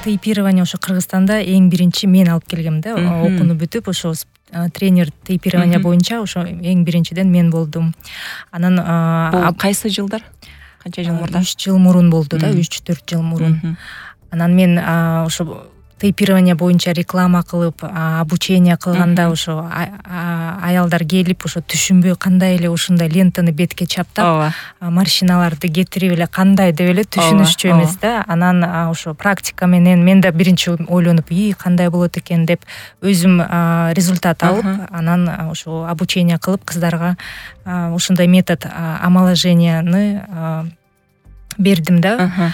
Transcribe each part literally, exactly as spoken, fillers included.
тейпирование ошо Кыргызстанда эң биринчи мен алып келгем да. Окууну бүтүп ошо тренер тейпирование боюнча ошо эң биринчиден мен болдум. Анан бул кайсы жылдар? Канча жыл мурда? үч жыл мурун болду да, үч төрт жыл мурун. Анан мен ошо тейпирование боюнча реклама кылып, обучение кылганда ошо аялдар келип ошо түшүнбөй кандай эле ушундай лентаны бетке чаптап, морщиналарды кетирип эле кандай деп эле түшүнүшчү эмес да. Анан ошо практика менен мен да биринчи ойлонуп, "И, кандай болот экен" деп өзүм результат алып, анан ошо обучение кылып кыздарга ушундай метод омоложенияны бердим да.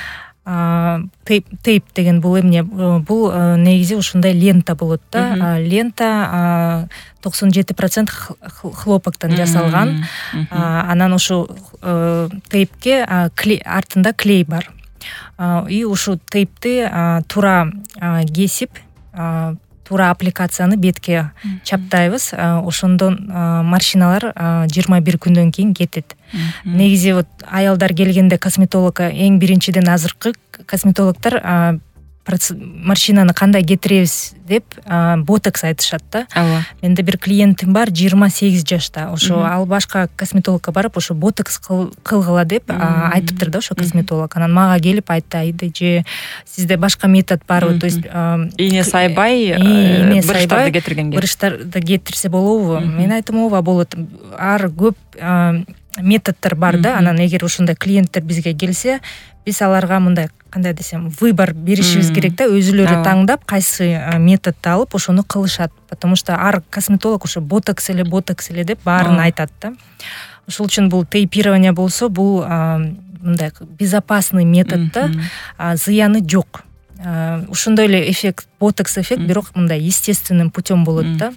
Тейп тейп деген бул эмне? Бул негизи ушундай лента болот да. Лента токсон жети процент хлопоктон жасалган. Анан ошо тейпке артында клей бар. И ушу тейпти туура кесип, туура аппликацияны бетке чаптайбыз. Ошондон морщиналар жыйырма бир күндөн кийин кетет. Негизи вот аялдар келгенде косметологко эң биринчиден азыркы косметологдор морщинаны кандай кетиребиз деп ботокс айтышат да. Менде бир клиентим бар, жыйырма сегиз жашта. Ошо ал башка косметологко барып, ошо ботокс кылгыла деп айтыптыр да ошо косметолог. Анан мага келип айтты, "Же сизде башка метод барбы?" То есть ийне сайбай буручтарды кетиргенге. Буручтарды кетирсе болобу? Мен айттым, ооба болот. Ар көп методдор бар да. Анан эгер ушундай клиенттер бизге келсе, биз аларга мындай, кандай десем, выбор беришибиз керек да. Өзүлөрү таңдап кайсы методду алып ошону кылышат. Потому что ар косметолог ошо ботокс эле, ботокс эле деп баарын айтат да. Ошол үчүн бул тейпирование болсо, бул мындай безопасный метод да, зыяны жок. Ушондой эле эффект, ботокс эффект, бирок мындай естественным путем болот да.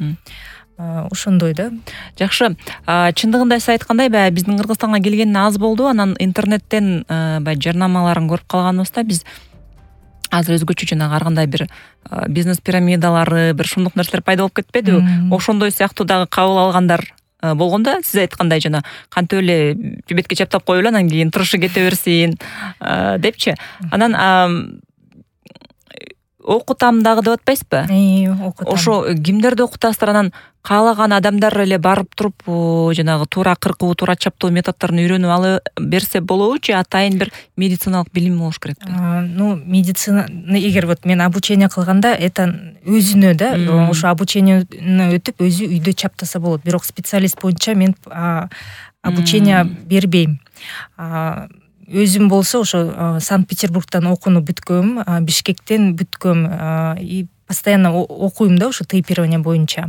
Ошондой да. Жакшы. Чындыгында сиз айткандай, баягы биздин Кыргызстанга келгенине аз болду. Анан интернеттен баягы жарнамаларын көрүп калганыбызда биз азыр өзгөчө жанагы ар кандай бир бизнес пирамидалары, бир шумдук нерселер пайда болуп кетпеди? Ошондой сыяктуу дагы кабыл алгандар болгондо, сиз айткандай жана кантип эле бетке чаптап коюп эле анан кийин турушу кете берсин депчи. Анан окутам дагы деп атпайсызбы? Окутам. Ошо кимдерди окутасыздар? Анан каалаган адамдар эле барып туруп жанагы туура кыркуу, туура чаптоо методдорун үйрөнүп ала берсе болобу, же атайын бир медициналык билим болуш керекпи? Ну, медицина, эгер вот мен обучение кылганда, это өзүнө да, ошо обучениени өтүп өзү үйдө чаптаса болот. Бирок специалист боюнча мен обучение бербейм. Өзүм болсо ошо Санкт-Петербургтан окууну бүткөм, Бишкектен бүткөм и постоянно окуйм да ошо тейпирование боюнча.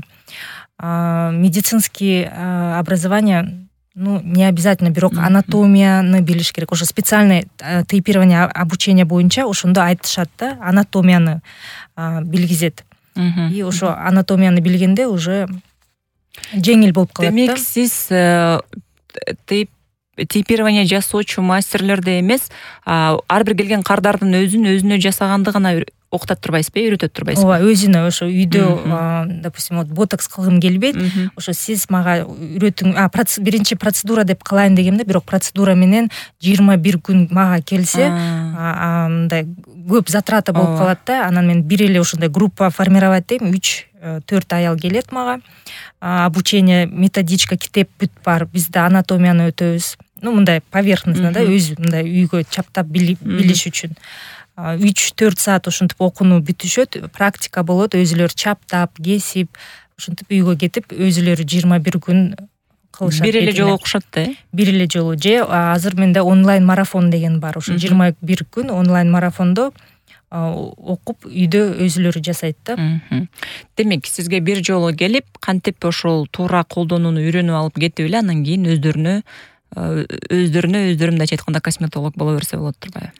Медицинский образование, ну, не обязательно, бирок анатомияны билиш керек. Ошо специальный тейпирование обучение боюнча ошондо айтышат да, анатомияны билгизет. И ошо анатомияны билгенде уже жеңил болуп калат да. Демек, сиз тейп тейпирование жасоочу мастерлерди эмес, ар бир келген кардардын өзүн өзүнө жасаганды гана окутат турбайсызбы, үйрөтөт турбайсызбы? Ооба, өзүнө ошо үйдө, допустим, вот ботокс кылгым келбейт, ошо сиз мага үйрөтүң, биринчи процедура деп кылайын дегемде, бирок процедура менен жыйырма бир күн мага келсе, мындай көп затрата болуп калат да. Анан мен бир эле ушундай группа формировать дейм, үч төрт аял келет мага. Обучение, методичка, китеп бүт бар. Бизде анатомияны өтөбүз. Ну, мындай поверхностно да, өзү мындай үйгө чаптап билиш үчүн. үч төрт саат ошентип окууну бүтүшөт, практика болот, өзүлөрү чаптап, кесип, ошентип үйгө кетип, өзүлөрү жыйырма бир күн кылышат. Бир эле жолу окушат да? Бир эле жолу. Же азыр менде онлайн марафон деген бар. Ошо жыйырма бир күн онлайн марафондо окуп үйдө өзүлөрү жасайт да. Демек, сизге бир жолу келип, кантип ошол туура колдонууну үйрөнүп алып кетип эле, анан кийин өздөрүнө өздөрүнө өздөрү мындайча айтканда косметолог боло берсе болот турбайбы?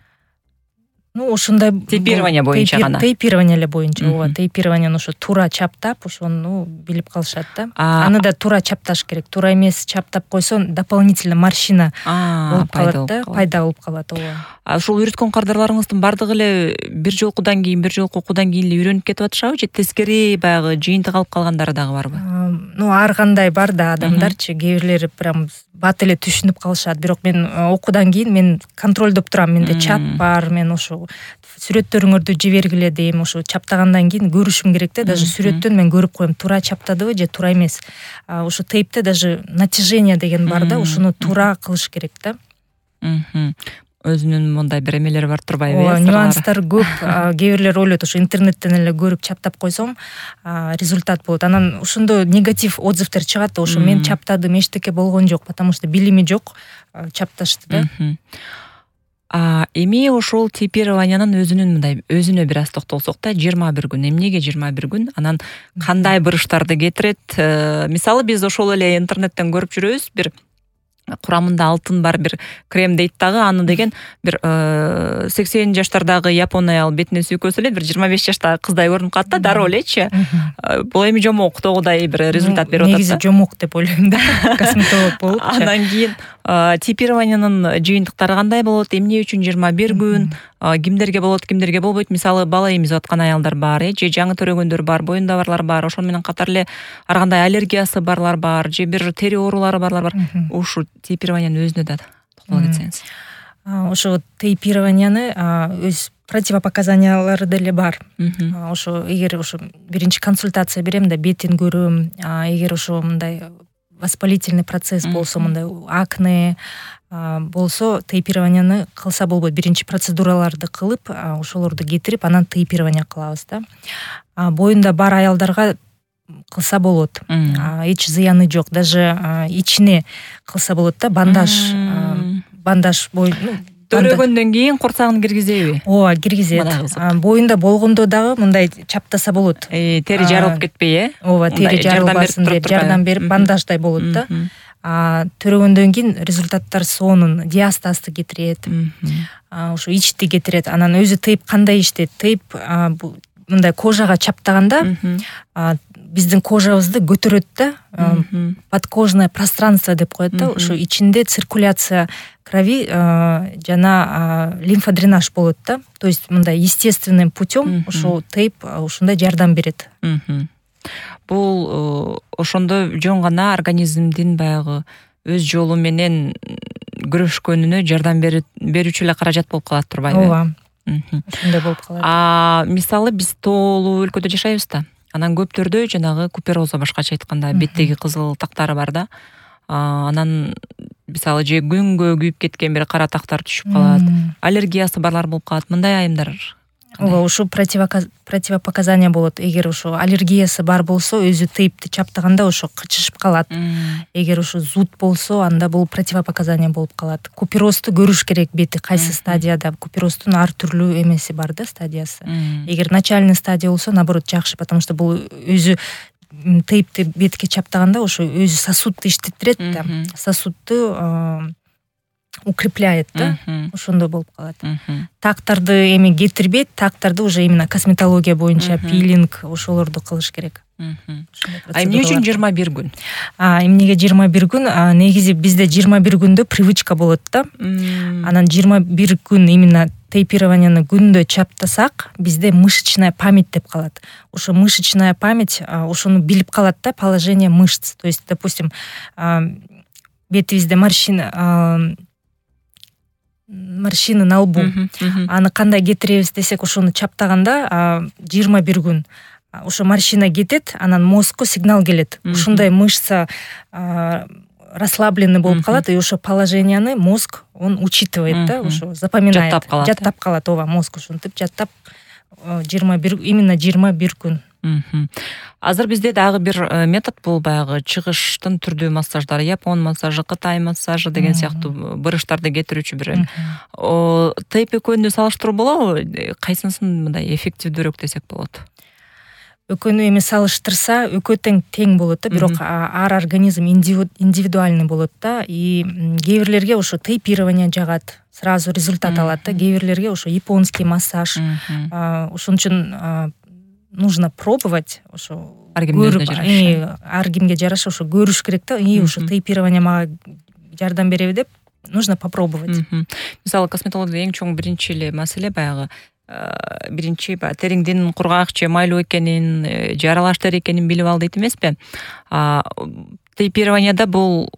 Ну, ошондой тейпирование боюнча гана. Тейпирование эле боюнча, ооба, тейпирование ошо туура чаптап, ошону билип калышат да. Аны да туура чапташ керек. Туура эмес чаптап койсо, дополнительно морщина болуп калат да, пайда болуп калат, ооба. Ошол үйрөткөн кардарларыңыздын бардыгы эле бир жолкудан кийин, бир жолку окуудан кийин эле үйрөнүп кетип атышабы, же тескери баягы жыйынтык алып калгандары дагы барбы? Ну, ар кандай бар да адамдарчы, кээ бирлери прям бат эле түшүнүп калышат. Бирок мен окуудан кийин мен контролдоп турам, менде чат бар, мен ошо сүрөттөрүңөрдү жибергиле дейм, ошо чаптагандан кийин көрүшүм керек да, даже сүрөттөн мен көрүп коем, туура чаптадыбы же туура эмес. Ошо тейпте даже натяжение деген бар да, ошону туура кылыш керек да. Өзүнүн мындай бир эмелери бар турбайбы? Ооба, нюанстар көп. Кээ бирлер ойлойт, ошо интернеттен эле көрүп чаптап койсом результат болот. Анан ошондо негатив отзывтар чыгат да, ошо мен чаптадым, эчтеке болгон жок, потому что билими жок, чапташты да. А эми ошол типированиянын өзүнүн мындай өзүнө бир аз токтолсок да, жыйырма бир күн. Эмнеге жыйырма бир күн? Анан кандай буруштарды кетирет? Мисалы биз ошол эле интернеттен көрүп жүрөбүз, бир курамында алтын бар бир крем дейт дагы, аны деген бир сексен жаштардагы япон аял бетине сүйкөсө эле бир жыйырма беш жаштагы кыздай көрүнүп калат да, дароо элечи. Бул эми жомок тогудай бир результат берип атат да. Негизи жомок деп ойлойм да, косметолог болупчу. Андан кийин типированиянын жыйынтыктары кандай болот? Эмне үчүн жыйырма бир күн? Кимдерге болот, кимдерге болбойт? Мисалы бала эмизип аткан аялдар бар, э, же жаңы төрөгөндөр бар, боюнда барлар бар, ошол менен катар эле ар кандай аллергиясы барлар бар, же бир тери оорулары барлар бар. Ушу тейпированиянын өзүнө да токтоло кетсеңиз. Ошо тейпированияны өз противопоказаниялары деле бар. Ошо эгер ошо биринчи консультация берем да, бетин көрөм, эгер ошо мындай воспалительный процесс болсо, мындай акне болсо, тейпированияны кылса болбойт. Биринчи процедураларды кылып, ошолорду кетирип, анан тейпирование кылабыз да. Боюнда бар аялдарга кылса болот. Эч зыяны жок. Даже ичине кылса болот да, бандаж, бандаж бой. Төрөгөндөн кийин курсагын киргизеби? Ооба, киргизет. Боюнда болгондо дагы мындай чаптаса болот. Тери жарылып кетпей, э? Ооба, тери жарылбасын деп жардам берип, бандаждай болот да. Төрөгөндөн кийин результаттар сонун, диастазды кетирет. Ошо ичти кетирет. Анан өзү тейп кандай иштейт? Тейп мындай кожага чаптаганда биздин кожабызды көтөрөт да, подкожное пространство деп коет да, ошо ичинде циркуляция крови жана лимфодренаж болот да. То есть мындай естественным путем ошо тейп ушундай жардам берет. Бул ошондо жөн гана организмдин баягы өз жолу менен күрөшкөнүнө жардам берүүчү эле каражат болуп калат турбайбы? Ооба. Ошондой болуп калат. А мисалы биз тоолуу өлкөдө жашайбыз да. Анан көптөрдө жанагы купероза, башкача айтканда беттеги кызыл тактары бар да. Анан мисалы же күнгө күйүп кеткен бир кара тактар түшүп калат. Аллергиясы барлар болуп калат. Мындай айымдар. Ооба, ошо противопоказания болот. Эгер ошо аллергиясы бар болсо, өзү тейпти чаптаганда ошо кычышып калат. Эгер ошо зуд болсо, анда бул противопоказания болуп калат. Куперозду көрүш керек, бети кайсы стадияда. Купероздун ар түрлүү эмеси бар да, стадиясы. Эгер начальный стадия болсо, наоборот жакшы, потому что бул өзү тейпти бетке чаптаганда ошо өзү сосудду иштеттирет да. Сосудду укрепляет да, ошондой болуп калат. Тактарды эми кетирбейт, тактарды уже именно косметология боюнча пилинг ошолорду кылыш керек. А эмне үчүн жыйырма бир күн? А эмнеге жыйырма бир күн? Негизи бизде жыйырма бир күндө привычка болот да. Анан жыйырма бир күн именно тейпированияны күндө чаптасак, бизде мышечная память деп калат. Ошо мышечная память ошону билип калат да, положение мышц. То есть, допустим, бетибизде морщина морщины на лбу. Аны кандай кетиребиз десек, ошону чаптаганда жыйырма бир күн ошо морщина кетет, анан мозгко сигнал келет. Ушундай мышца расслабленный болуп калат, и ошо положенияны мозг он учитывает да, ошо запоминает. Жаттап калат. Жаттап калат, ооба, мозг ушинтип жаттап жыйырма бир именно жыйырма бир күн. Азыр бизде дагы бир метод бул баягы чыгыштын түрдүү массаждары, япон массажы, кытай массажы деген сыяктуу буруштарды кетирүүчү бир. Тейп экөөнү салыштыруу болобу? Кайсынысын мындай эффективдүүрөөк десек болот? Экөөнү эми салыштырса, экөө тең тең болот да, бирок ар организм индивидуальный болот да, и кээ бирлерге ошо тейпирование жагат, сразу результат алат да, кээ бирлерге ошо японский массаж. Ошон үчүн нужно пробовать, ошо ар кимге жараша ошо көрүш керек да, и ошо тейпирование мага жардам береби деп нужно попробовать. Мисалы косметология эң чоң биринчи эле маселе баягы биринчи териңдин кургак же майлуу экенин, же аралаш тери экенин билип ал дейт эмеспи? Тейпированияда бул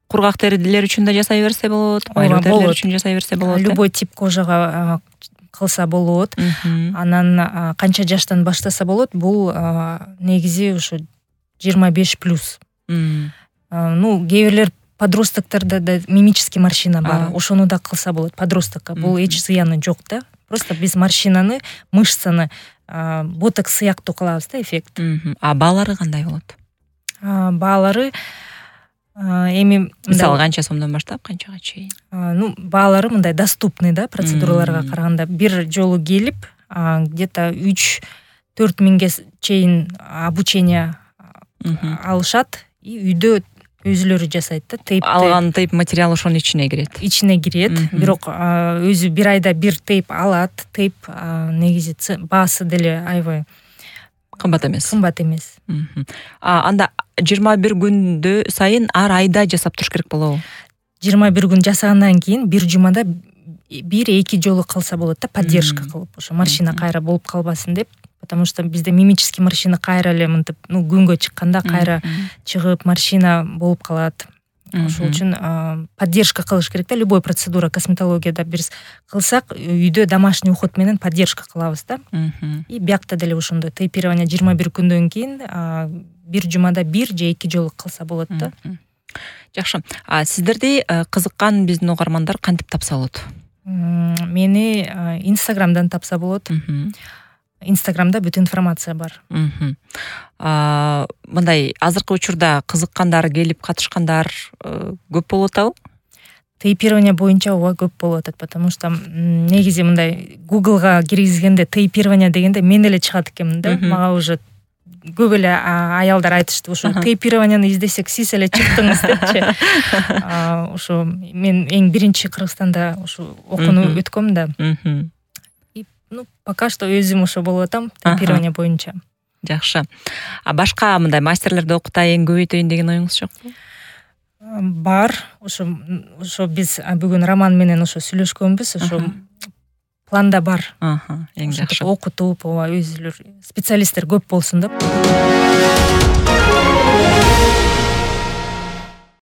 кургак терилер үчүн да жасай берсе болот, майлуу терилер үчүн жасай берсе болот. Любой тип кожага кылса болот. Анан канча жаштан баштаса болот? Бул негизи ушу жыйырма беш плюс. Ну, кээ бирлер подростоктордо да мимический морщина бар. Ошону да кылса болот подростокко. Бул эч зыяны жок да. Просто биз морщинаны, мышцаны ботокс сыяктуу кылабыз да, эффект. А баалары кандай болот? Баалары эми мисалы канча сомдон баштап канчага чейин? Ну, баалары мындай доступный да, процедураларга караганда. Бир жолу келип, где-то үч төрт миңге чейин обучение алышат и үйдө өзүлөрү жасайт да. Тейп алган тейп материал ошонун ичине кирет. Ичине кирет. Бирок өзү бир айда бир тейп алат. Тейп негизи баасы деле аябай кымбат эмес. Кымбат эмес. Анда жыйырма бир күндө сайын ар айда жасап туруш керек болобу? жыйырма бир күн жасагандан кийин бир жумада бир эки жолу кылса болот да, поддержка кылып. Ошо морщина кайра болуп калбасын деп. Потому что бизде мимический морщина кайра эле мынтип, ну, күнгө чыкканда кайра чыгып морщина болуп калат. Ошол үчүн поддержка кылыш керек да. Любой процедура косметологияда биз кылсак, үйдө домашний уход менен поддержка кылабыз да. И биякта деле ошондой тейпирование жыйырма бир күндөн кийин бир жумада бир же эки жолу кылса болот да. Жакшы. А сиздерди кызыккан биздин угармандар кантип тапса болот? Мени Инстаграмдан тапса болот. Инстаграмда бүт информация бар. Мындай азыркы учурда кызыккандар, келип катышкандар көп болуп атабы? Тейпирование боюнча ооба көп болуп атат, потому что негизи мындай Googleга киргизгенде тейпирование дегенде мен эле чыгат экенмин да. Мага уже көп эле аялдар айтышты, ошо тейпированияны издесек сиз эле чыктыңыз депчи. Ошо мен эң биринчи Кыргызстанда ошо окууну өткөм да. Ну, пока что өзүм ошо болуп атам, тейпирование боюнча. Жакшы. А башка мындай мастерлерди окутайын, көбөйтөйүн деген оюңуз жокпу? Бар. Ошо ошо биз бүгүн Роман менен ошо сүйлөшкөнбүз, ошо планда бар. Аха, эң жакшы. Окутуп, ооба, өзүлөр специалисттер көп болсун деп.